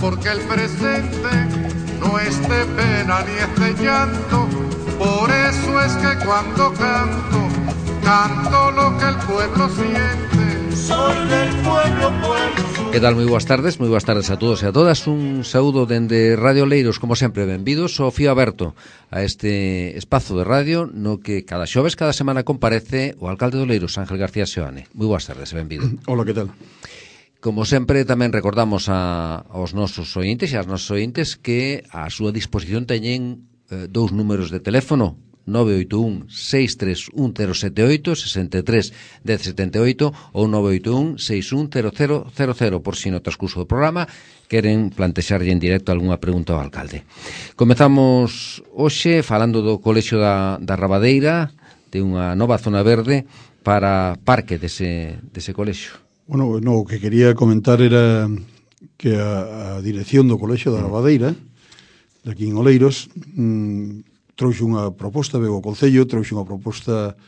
porque el presente no es de pena ni es de llanto. Por eso es que cuando canto, canto lo que el pueblo siente. Soy del pueblo, pueblo. Que tal? Moi boas tardes a todos e a todas. Un saúdo dende Radio Oleiros, como sempre, benvidos ao fío aberto a este espazo de radio no que cada xoves, cada semana comparece o alcalde de Oleiros, Ángel García Seoane. Moi boas tardes e benvido. Hola, que tal? Como sempre, tamén recordamos aos nosos ointes e ás nosas ointes que a súa disposición teñen dous números de teléfono, 981-631-078, 63-1078 ou 981-610000, por si no transcurso do programa queren plantexarlle en directo algunha pregunta ao alcalde. Comezamos hoxe falando do Colexio da Rabadeira, de unha nova zona verde para parque dese colexio. Bueno, o que quería comentar era que a dirección do Colexio da Rabadeira, de aquí en Oleiros, trouxe unha proposta, veo o Concello, trouxe unha proposta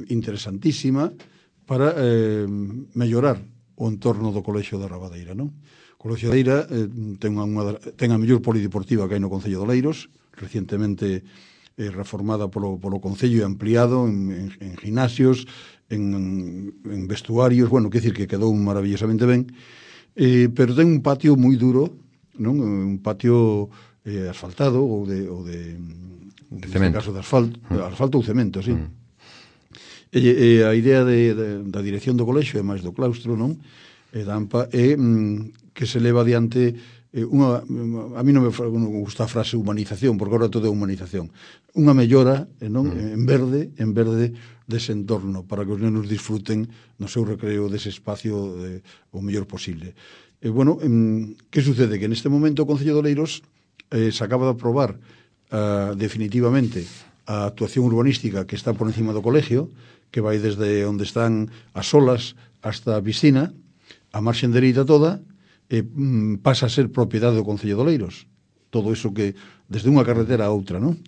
interesantísima para mellorar o entorno do Colexio da Rabadeira, non? O Colexio da Rabadeira ten a mellor polideportiva que hai no Concello de Oleiros, recientemente reformada polo Concello e ampliado en gimnasios, en vestuarios, bueno, que decir que quedou maravillosamente ben, pero ten un patio moi duro, non? Un patio asfaltado ou de cemento. Caso de asfalto ou cemento, sí. E a idea da dirección do colexio e máis do claustro, non? Da AMPA é que se leva adiante a mí non me gusta a frase humanización, porque agora todo é humanización. Unha mellora, non? En verde dese entorno, para que os nenos disfruten no seu recreo dese espacio o mellor posible. Bueno, que sucede? Que neste momento o Concello de Oleiros se acaba de aprobar definitivamente a actuación urbanística que está por encima do colegio, que vai desde onde están as olas hasta a piscina, a marxen dereita toda, pasa a ser propiedade do Concello de Oleiros. Todo iso que, desde unha carretera a outra, non?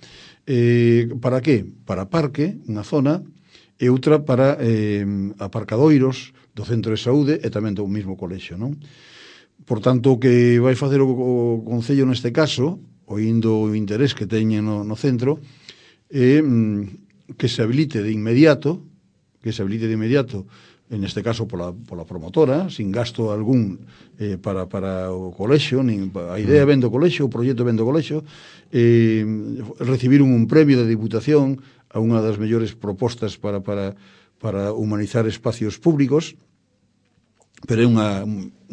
Para que? Para parque, unha zona, e outra para aparcadoiros do centro de saúde e tamén do mesmo colexio, non? Por tanto, o que vai facer o Concello neste caso, oindo o interés que teñen no centro, é que se habilite de inmediato, en este caso pola promotora, sin gasto algún para o colexio, a idea ven do colexio, o proxecto ven do colexio, recibir un premio de Diputación a unha das mellores propostas para humanizar espacios públicos, pero é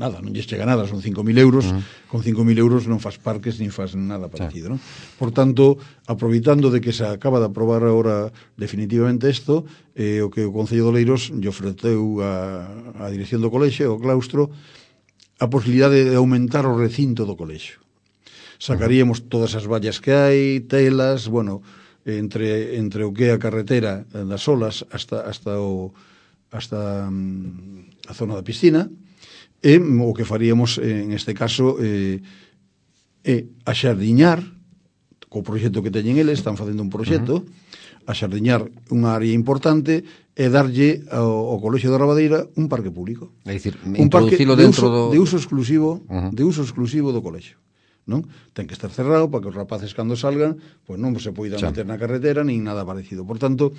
nada, non lles chega nada, son 5.000 euros, con 5.000 euros non faz parques nin faz nada parecido, non? Por tanto, aproveitando de que se acaba de aprobar agora definitivamente isto, o que o Concello de Oleiros lle ofreceu a dirección do colexio, o claustro, a posibilidade de aumentar o recinto do colexio. Sacaríamos todas as vallas que hai, telas, bueno, entre o que é a carretera das olas hasta a zona da piscina, e o que faríamos en este caso é axardiñar, co proxecto que teñen eles, están facendo un proxecto, axardiñar unha área importante e darlle ao Colexio da Rabadeira un parque público. É dicir, introducilo dentro de uso exclusivo do colexio. Non? Ten que estar cerrado para que os rapaces cando salgan, pois non se poidan meter na carretera nin nada parecido. Por tanto,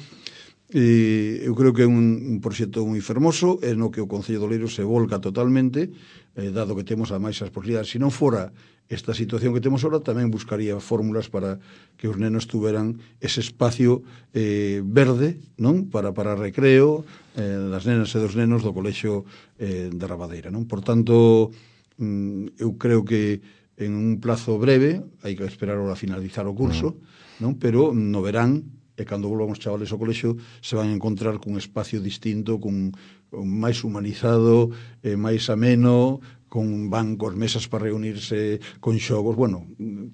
eu creo que é un proxecto moi fermoso, é no que o Concello de Oleiros se volca totalmente, dado que temos ademais as posibilidades. Se non fora esta situación que temos ahora, tamén buscaría fórmulas para que os nenos tuveran ese espacio verde, non? Para recreo das nenas e dos nenos do Colexio da Rabadeira, non? Por tanto, eu creo que en un plazo breve, hai que esperar a finalizar o curso, non? Pero no verán, e cando volvan os chavales ao colexio, se van a encontrar cun espacio distinto, con máis humanizado, máis ameno, con bancos, mesas para reunirse, con xogos. Bueno,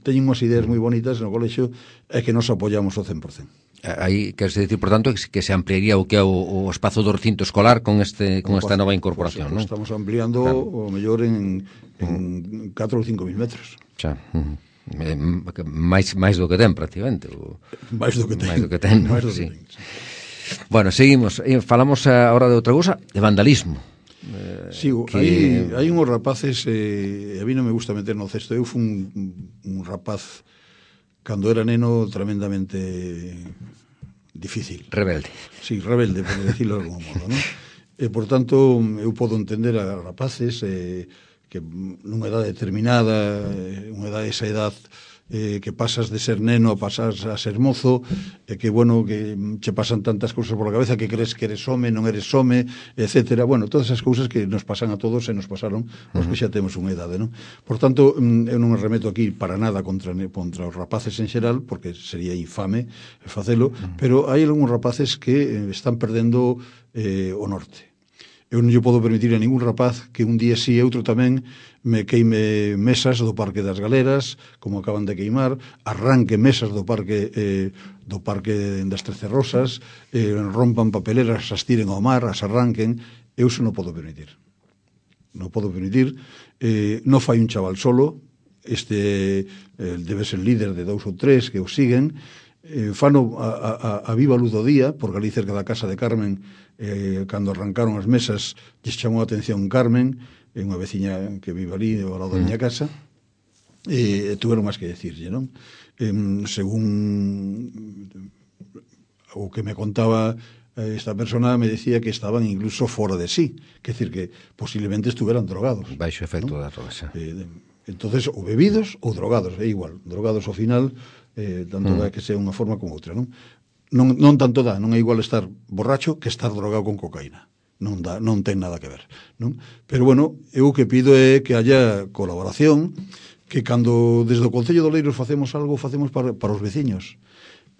teñen unhas ideas moi bonitas no colexio e que nos apoiamos ao 100%. Aí, queres dicir, por tanto, que se ampliaría o que é o espazo do recinto escolar con esta nova incorporación, non? Estamos ampliando o mellor en 4 ou 5.000 metros. Xa, máis do que ten, prácticamente. Máis do que ten. Sí. Bueno, seguimos. Falamos agora de outra cousa, de vandalismo. Sí, hai unhos rapaces, a mí non me gusta meter no cesto. Eu fui un rapaz, cando era neno, tremendamente difícil. Rebelde. Sí, rebelde, por decirlo de algún modo, non? E, por tanto, eu podo entender a rapaces que nunha edade determinada, esa edad que pasas de ser neno a pasar a ser mozo, que, bueno, que che pasan tantas cousas por la cabeza que crees que eres home, non eres home, etcétera. Bueno, todas esas cousas que nos pasan a todos e nos pasaron os que xa temos unha idade, non? Por tanto, eu non me remeto aquí para nada contra os rapaces en xeral, porque sería infame facelo, pero hai algúns rapaces que están perdendo o norte. Eu non lle podo permitir a ningún rapaz que un día sí e outro tamén me queime mesas do Parque das Galeras, como acaban de queimar, arranque mesas do Parque das Trece Rosas, rompan papeleras, as tiren ao mar, as arranquen. Eu iso non podo permitir. Non podo permitir. Non fai un chaval solo, debe ser líder de 2 ou 3 que o siguen, fano a viva luz do día, porque ali cerca da casa de Carmen, cando arrancaron as mesas, lles chamou a atención Carmen, unha veciña que vive ali ao lado da miña casa, e tuveron máis que decirlle, non? Según o que me contaba esta persona, me decía que estaban incluso fora de sí, que decir que posiblemente estuveran drogados. Baixo efecto, ¿no?, da droga, xa. Entonces, ou bebidos ou drogados, é igual, drogados ao final, tanto dá que sea unha forma como outra, non? Non tanto dá, non é igual estar borracho que estar drogado con cocaína. Non dá, non ten nada que ver, non? Pero, bueno, eu o que pido é que haya colaboración, que cando desde o Concello de Oleiros facemos algo, facemos para os veciños.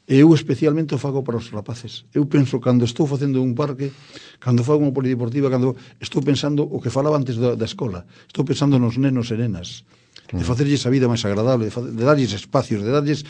Eu especialmente o fago para os rapaces. Eu penso, cando estou facendo un parque, cando fago unha polideportiva, cando estou pensando o que falaba antes da escola, estou pensando nos nenos e nenas, de facerlles a vida máis agradable, de darlles espacios, de darlles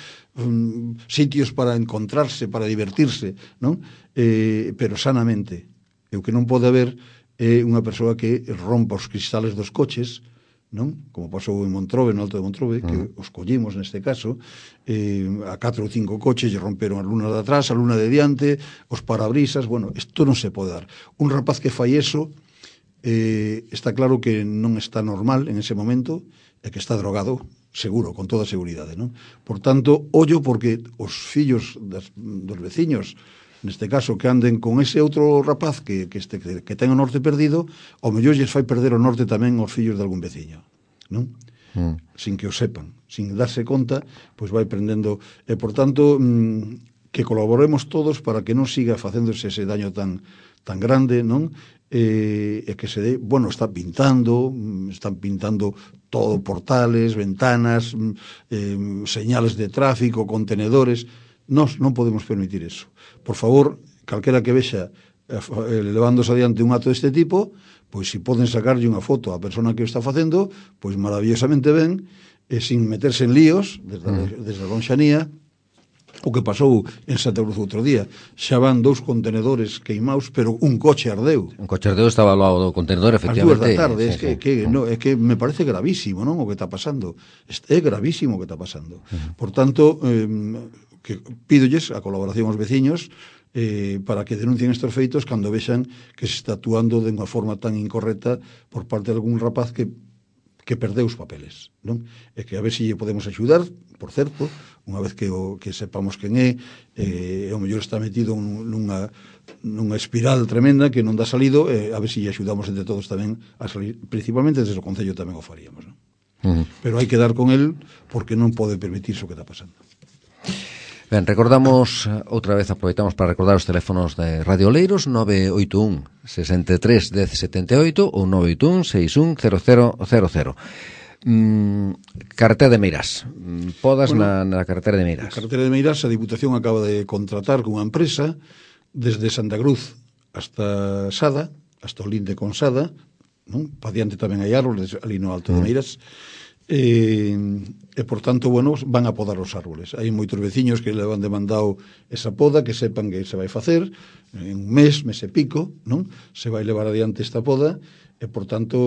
sitios para encontrarse, para divertirse, non? Pero sanamente. E o que non pode haber é unha persoa que rompa os cristales dos coches, non? Como pasou en Montrobe, no Alto de Montrobe, que os collimos neste caso, a 4 ou 5 coches lle romperon a luna de atrás, a luna de diante, os parabrisas. Bueno, isto non se pode dar. Un rapaz que fai eso, está claro que non está normal en ese momento, e que está drogado, seguro, con toda a seguridade, non? Por tanto, ollo, porque os fillos dos veciños, neste caso, que anden con ese outro rapaz que ten o norte perdido, ao mellor lles fai perder o norte tamén aos fillos de algún veciño, non? Sin que o sepan, sin darse conta, pois vai prendendo. E, por tanto, que colaboremos todos para que non siga facéndose ese daño tan grande, non? E que se dé, bueno, están pintando todo, portales, ventanas, señales de tráfico, contenedores. Nós non podemos permitir eso. Por favor, calquera que vexa levándose adiante un acto deste tipo, pois se poden sacarlle unha foto á persona que o está facendo, pois maravillosamente ben, e sin meterse en líos desde a lonxanía. O que pasou en Santa Cruz outro día, xa van 2 contenedores queimados, pero un coche ardeu. Un coche ardeu, estaba ao lado do contenedor, efectivamente. As 2 da tarde, é que me parece gravísimo, non, o que está pasando. É gravísimo o que está pasando. Por tanto, que pídolles a colaboración aos veciños para que denuncien estes feitos cando vexan que se está actuando de unha forma tan incorrecta por parte de algún rapaz que perdeu os papeles, non? E que a ver se lle podemos axudar, por certo, unha vez que sepamos quen é, ao mellor está metido nunha espiral tremenda que non dá salido, a ver se lle axudamos entre todos tamén a salir, principalmente desde o Concello tamén o faríamos, non? Pero hai que dar con el porque non pode permitirse o que está pasando. Ben, recordamos, outra vez aproveitamos para recordar os teléfonos de Radio Oleiros, 981 63 1078 ou 981 61 0000. Carretera de Meirás. Podas na carretera de Meirás. Na carretera de Meirás, a Diputación acaba de contratar con unha empresa desde Santa Cruz hasta Sada, hasta o linde con Sada, non? Pa diante tamén hai árboles ali no Alto de Meirás. E por tanto, bueno, van a podar os árboles. Hai moitos veciños que le van demandado esa poda, que sepan que se vai facer en un mes e pico, non? Se vai levar adiante esta poda, e por tanto,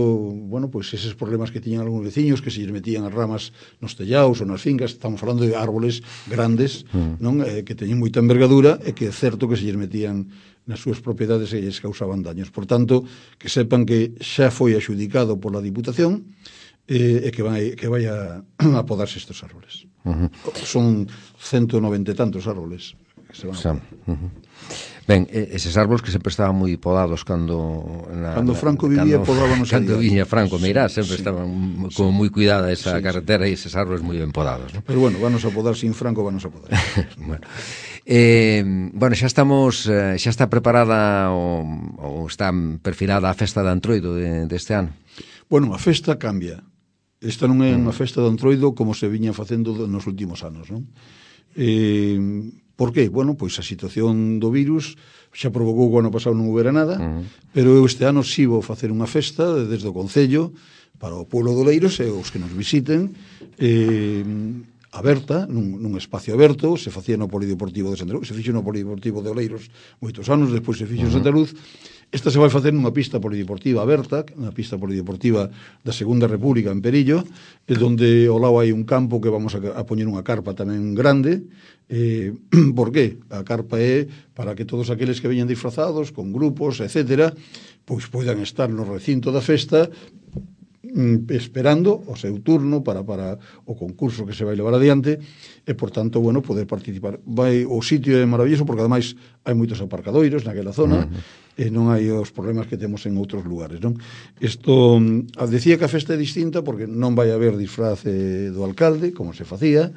bueno, pois eses problemas que tiñan algúns veciños, que se lles metían as ramas nos tellaos ou nas fincas, estamos falando de árboles grandes, non? Que teñen moita envergadura, e que é certo que se lles metían nas súas propiedades e lles causaban daños. Por tanto, que sepan que xa foi axudicado pola Diputación e que vai a podarse estes árboles. Son 190 e tantos árboles que se van a podar. Ben, eses árboles que sempre estaban moi podados cando Franco vivía, podábanos cando viña Franco Meirás, sempre estaban como moi cuidada esa carretera e eses árboles moi ben podados, ¿no? Pero bueno, vanos a podar sin Franco, vanos a podar. Bueno, xa está preparada ou está perfilada a festa de Antroido deste ano? Bueno, a festa cambia. Esta non é unha festa de Antroido como se viña facendo nos últimos anos, non? Por que? Bueno, pois a situación do virus xa provocou que o ano pasado non houbera nada, pero eu este ano si vou facer unha festa desde o Concello para o pueblo do Oleiros e os que nos visiten, aberta, nun espacio aberto, se facía no Polideportivo de Santa Luz, se fixo no Polideportivo de Oleiros moitos anos, despois se fixo en Santa Luz. Esta se vai facer nunha pista polideportiva aberta, unha pista polideportiva da Segunda República en Perillo, onde ao lado hai un campo que vamos a poñer unha carpa tamén grande. Por qué? A carpa é para que todos aqueles que veñan disfrazados, con grupos, etcétera, pois poidan estar no recinto da festa esperando o seu turno para o concurso que se vai levar adiante e, por tanto, bueno, poder participar. O sitio é maravilloso porque, ademais, hai moitos aparcadoiros naquela zona e non hai os problemas que temos en outros lugares, non? Isto, decía que a festa é distinta porque non vai haber disfraz do alcalde, como se facía.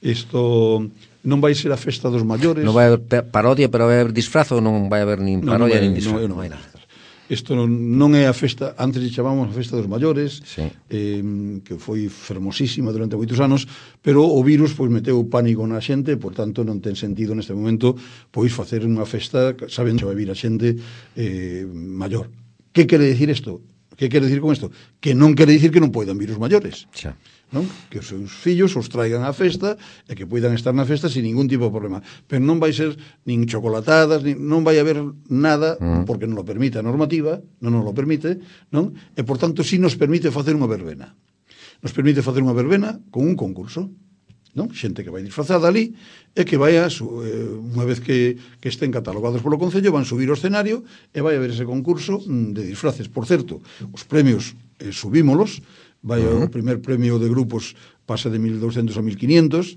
Isto non vai ser a festa dos maiores. Non vai haber parodia, pero vai haber disfraz ou non vai haber nin parodia nin disfraz? Non vai nada. Isto non é a festa, antes lle chamamos a festa dos maiores, que foi fermosísima durante moitos anos, pero o virus pois meteu pánico na xente, por tanto non ten sentido neste momento pois facer unha festa sabendo que vai vir a xente maior. Que quere dicir isto? Que quere dicir con isto? Que non quere dicir que non poidan vir os maiores. Non? Que os seus fillos os traigan á festa e que poidan estar na festa sin ningún tipo de problema, pero non vai ser nin chocolatadas, non vai haber nada porque non lo permite a normativa, non nos lo permite, non? E por tanto si nos permite facer unha verbena, con un concurso, non? Xente que vai disfrazada ali e que vai unha vez que estén catalogados polo Concello van subir ao escenario e vai haber ese concurso de disfraces. Por certo, os premios subímolos. Vai o primer premio de grupos pasa de 1.200 a 1.500,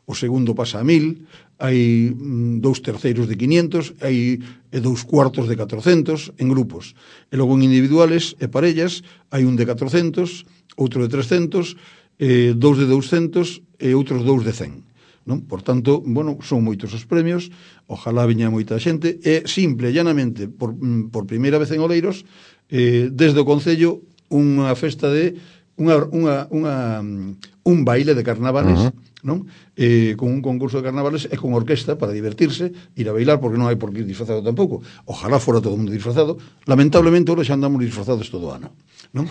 o segundo pasa a 1.000, hai 2 terceiros de 500, hai 2 cuartos de 400 en grupos. E logo en individuales e parellas hai un de 400, outro de 300, 2 de 200 e outros 2 de 100. Non? Por tanto, bueno, son moitos os premios, ojalá viña moita xente, e simple e llanamente, por primeira vez en Oleiros, desde o Concello, unha festa de un baile de carnavales, non? Con un concurso de carnavales e con orquesta para divertirse, ir a bailar, porque non hai por que ir disfrazado tampouco. Ojalá fora todo o mundo disfrazado. Lamentablemente, ahora xa andamos disfrazados todo o ano, non?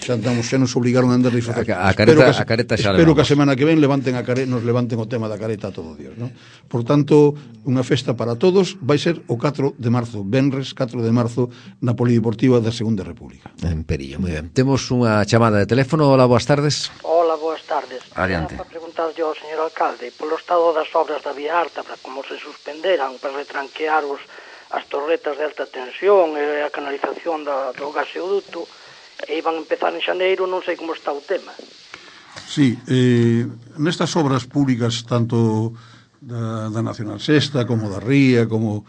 Xa nos obligaron a andar disfrazados. A careta xa espero que a semana que ven nos levanten o tema da careta a todo Dios, non? Por tanto, unha festa para todos vai ser o 4 de marzo, venres 4 de marzo, na Polideportiva da Segunda República. En Perillo, moi ben. Temos unha chamada de teléfono. Hola, boas tardes. Hola, boas tardes. Adiante. Para preguntar yo ao señor alcalde polo estado das obras da Vía Alta, para como se suspenderan para retranquear as torretas de alta tensión e a canalización do gaseoduto, e iban a empezar en xaneiro, non sei como está o tema. Sí, nestas obras públicas, tanto da Nacional Sexta como da Ría, como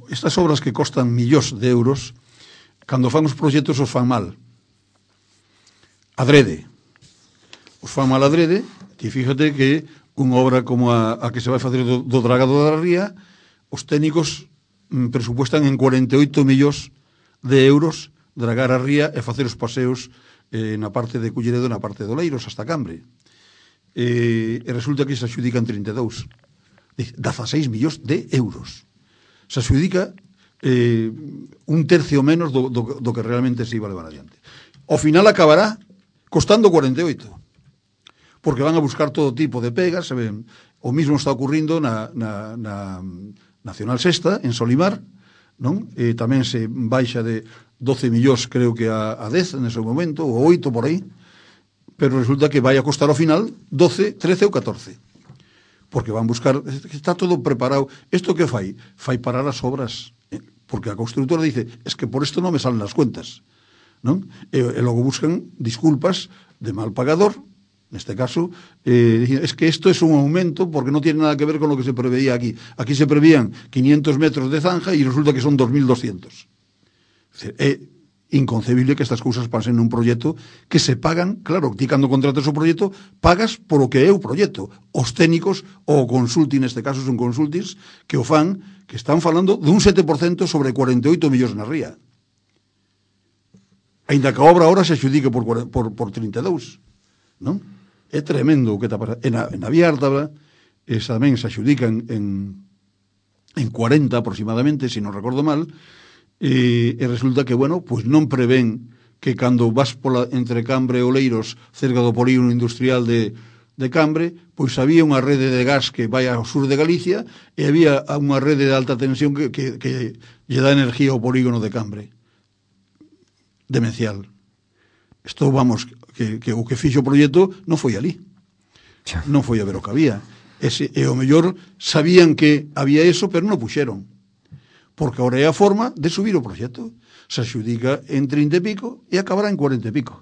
estas obras que costan millóns de euros, cando fan os proxectos os fan mal. Adrede. Os fan mal adrede, e fíjate que unha obra como a que se vai facer do dragado da Ría, os técnicos presupuestan en 48 millóns de euros dragar a ría e facer os paseos na parte de Culleredo e na parte de Oleiros hasta Cambre. E resulta que se adxudican 32. 16 millóns de euros. Se adxudica un tercio menos do que realmente se iba a levar adiante. Ao final acabará costando 48. Porque van a buscar todo tipo de pegas, saben? O mismo está ocurrindo na Nacional Sexta, en Solimar, non? E tamén se baixa de 12 millóns, creo que a 10 nese momento, ou 8 por aí, pero resulta que vai a costar ao final 12, 13 ou 14. porque van buscar, está todo preparado. Isto que fai? Fai parar as obras, porque a constructora dice, es que por isto non me salen as cuentas, non? E logo buscan disculpas de mal pagador, neste caso, es que esto es un aumento porque no tiene nada que ver con lo que se preveía aquí. Aquí se prevían 500 metros de zanja y resulta que son 2.200. É inconcebible que estas cousas pasen nun proxecto que se pagan, claro, ti cando contratas o proxecto pagas por o que é o proxecto. Os técnicos, o consulting, neste caso son consultings, que o fan, que están falando dun 7% sobre 48 millóns na ría. Ainda que a obra ahora se adjudique por 32, non? É tremendo o que está pasando. Na Vía Ártabra, tamén se adjudican en 40 aproximadamente, se non recordo mal, e resulta que, bueno, pois non prevén que cando vas entre Cambre e Oleiros, cerca do polígono industrial de Cambre, pois había unha rede de gas que vai ao sur de Galicia e había unha rede de alta tensión que lle dá energía ao polígono de Cambre. Demencial. Isto, vamos, que o que fixo o proxecto non foi ali. Non foi a ver o que había. E o mellor sabían que había eso, pero non o puxeron. Porque ahora é a forma de subir o proxecto. Se adxudica en 30 e pico e acabará en 40 e pico.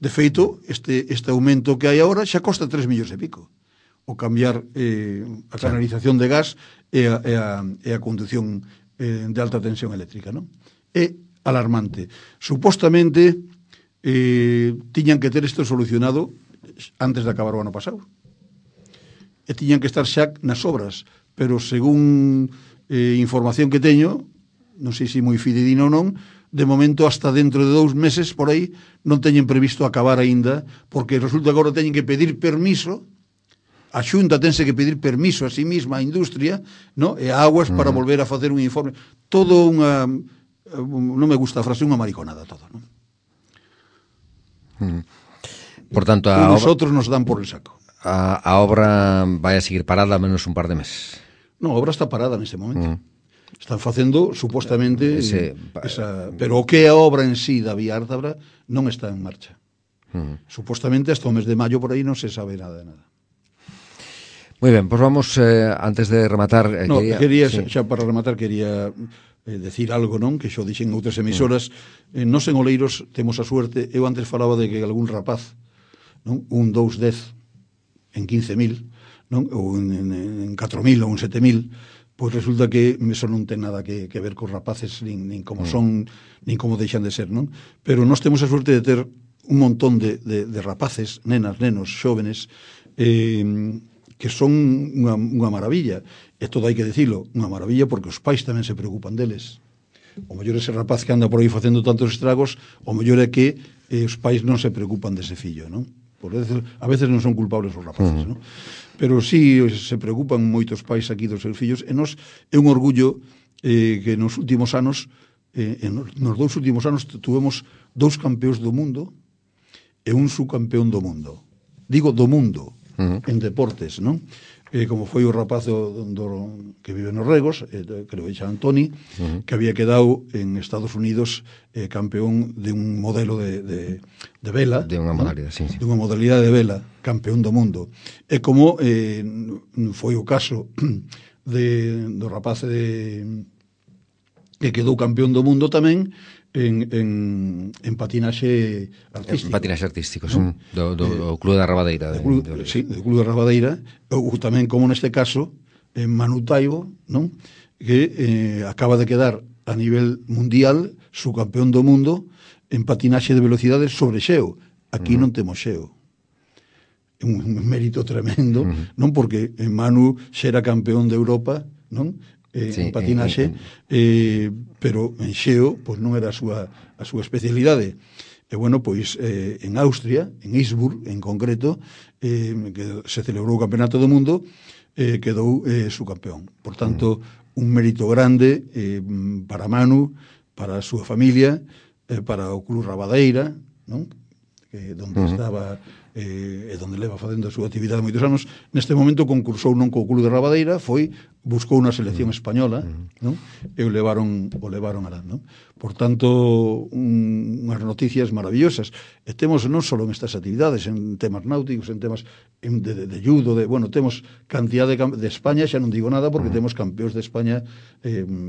De feito, este aumento que hai agora xa costa 3 millóns e pico. O cambiar a canalización de gas e a conducción de alta tensión eléctrica, non? É alarmante. Supostamente tiñan que ter isto solucionado antes de acabar o ano pasado. E tiñan que estar xa nas obras, pero según información que teño, non sei se moi fidedigna ou non, de momento hasta dentro de 2 meses por aí non teñen previsto acabar aínda, porque resulta que agora teñen que pedir permiso, a Xunta tense que pedir permiso a sí mesma, a industria, no? E a Aguas para volver a facer un informe. Todo unha, non me gusta a frase, unha mariconada todo, non? Por tanto, nosotros nos dan por el saco. A obra vai a seguir parada a menos un par de meses. Non, a obra está parada neste momento. Están facendo, supostamente, pero o que é a obra en sí da Vía Ártabra non está en marcha. Supostamente, hasta o mes de maio, por aí, non se sabe nada de nada. Moi ben, pois vamos, antes de rematar... quería xa para rematar, quería decir algo, non? Que xo dixen outras emisoras. Nos en Oleiros temos a suerte, eu antes falaba de que algún rapaz, non? Un 210 en 15.000, non? Ou en 4.000 ou en 7.000, pois resulta que eso non ten nada que ver cos rapaces, nin como son, nin como deixan de ser, non? Pero nós temos a suerte de ter un montón de rapaces, nenas, nenos, xóvenes, que son unha maravilla. E todo hai que dicilo, unha maravilla, porque os pais tamén se preocupan deles. O mellor ese rapaz que anda por aí facendo tantos estragos, o mellor é que os pais non se preocupan dese fillo, non? A veces non son culpables os rapaces, non? Pero sí se preocupan moitos pais aquí dos seus fillos, e nos é un orgullo que nos últimos anos, nos 2 últimos anos, tuvemos 2 campeóns do mundo e un subcampeón do mundo. Digo do mundo, en deportes, non? Como foi o rapaz que vive nos Regos, creo que xa Antoni, que había quedado en Estados Unidos campeón de un modelo de vela. De unha modalidade, sí. De unha modalidade de vela, campeón do mundo. E como foi o caso do rapaz que quedou campeón do mundo tamén en patinaxe artístico. Patinaxe artístico, ¿no? Do Club da Rabadeira. Sí, do Club da Rabadeira. Ou tamén, como neste caso, Manu Taibo, non? Que acaba de quedar a nivel mundial subcampeón do mundo en patinaxe de velocidades sobre xeo. Aquí non temos xeo. É un mérito tremendo, non? Porque Manu xa era campeón de Europa, non? En patinaxe, pero en xeo pois non era a súa especialidade. E bueno, pois en Austria, en Innsbruck en concreto, que se celebrou o Campeonato do Mundo, quedou subcampeón. Por tanto, un mérito grande para Manu, para a súa familia, para o Club Rabadeira, non? Donde estaba e donde leva facendo a súa actividade moitos anos. Neste momento concursou non co Club de Rabadeira, buscou unha selección española, non? E o levaron alá, non? Por tanto, unhas noticias maravillosas. E temos non só en estas actividades, en temas náuticos, en temas de judo, temos cantidad de España, xa non digo nada, porque temos campeóns de España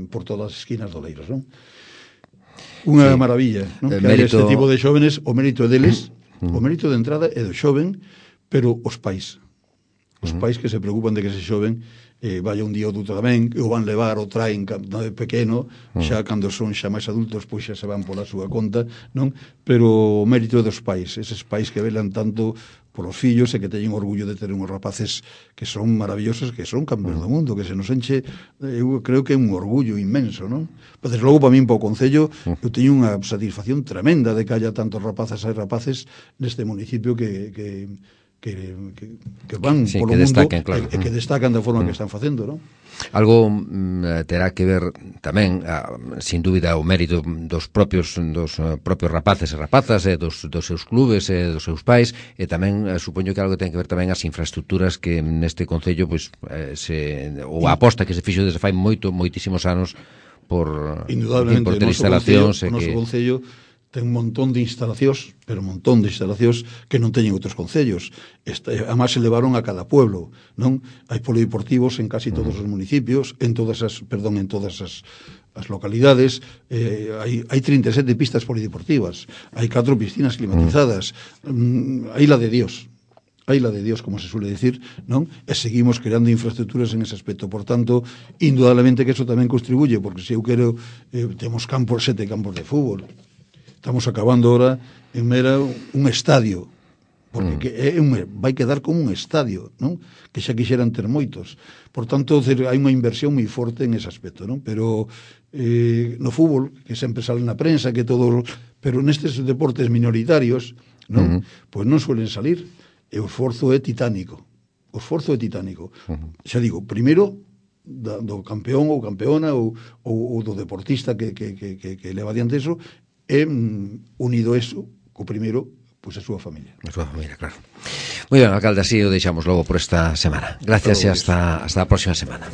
por todas as esquinas do Leiros, non? Unha maravilla, non? Que hai este tipo de xóvenes, o mérito é deles, o mérito de entrada é do xoven, pero os pais que se preocupan de que ese xoven vaya un día ou outro tamén, o van levar o traen de pequeno, xa cando son xa máis adultos, pois xa se van pola súa conta, non? Pero o mérito é dos pais, eses pais que velan tanto polos fillos e que teñen orgullo de ter unhos rapaces que son maravillosos, que son campeóns do mundo, que se nos enche, eu creo que é un orgullo inmenso, non? Pois logo, para min, para o Concello, eu teño unha satisfacción tremenda de que haya tantos rapazas e rapaces neste municipio que van polo mundo destaquen, claro. E que destacan da forma que están facendo, non? Algo terá que ver tamén, sin dúbida, o mérito dos propios rapaces e rapazas, dos seus clubes e dos seus pais, e tamén supoño que algo ten que ver tamén as infraestructuras que neste Concello ou a aposta que se fixo desde fai moitísimos anos por ter instalacións. O noso Concello ten un montón de instalacións, pero un montón de instalacións que non teñen outros concellos. Además se levaron a cada pueblo, non? Hai polideportivos en casi todos os municipios, en todas as localidades, hai 37 pistas polideportivas, hai 4 piscinas climatizadas, hai la de Dios, como se suele decir, non? E seguimos creando infraestructuras en ese aspecto. Por tanto, indudablemente que eso tamén contribuye, porque se eu quero, temos 7 campos de fútbol. Estamos acabando ahora en Mera un estadio, porque vai quedar como un estadio, non? Que xa quixeran ter moitos. Por tanto, hai unha inversión moi forte en ese aspecto, non? Pero no fútbol, que sempre sale na prensa, pero nestes deportes minoritarios, non? Pois non suelen salir, e o esforzo é titánico. Xa digo, primeiro do campeón ou campeona ou do deportista que leva adiante eso, e unido eso, co primeiro, pois a súa familia. A súa familia, claro. Moi ben, alcalde, así o deixamos logo por esta semana. Gracias e hasta a próxima semana.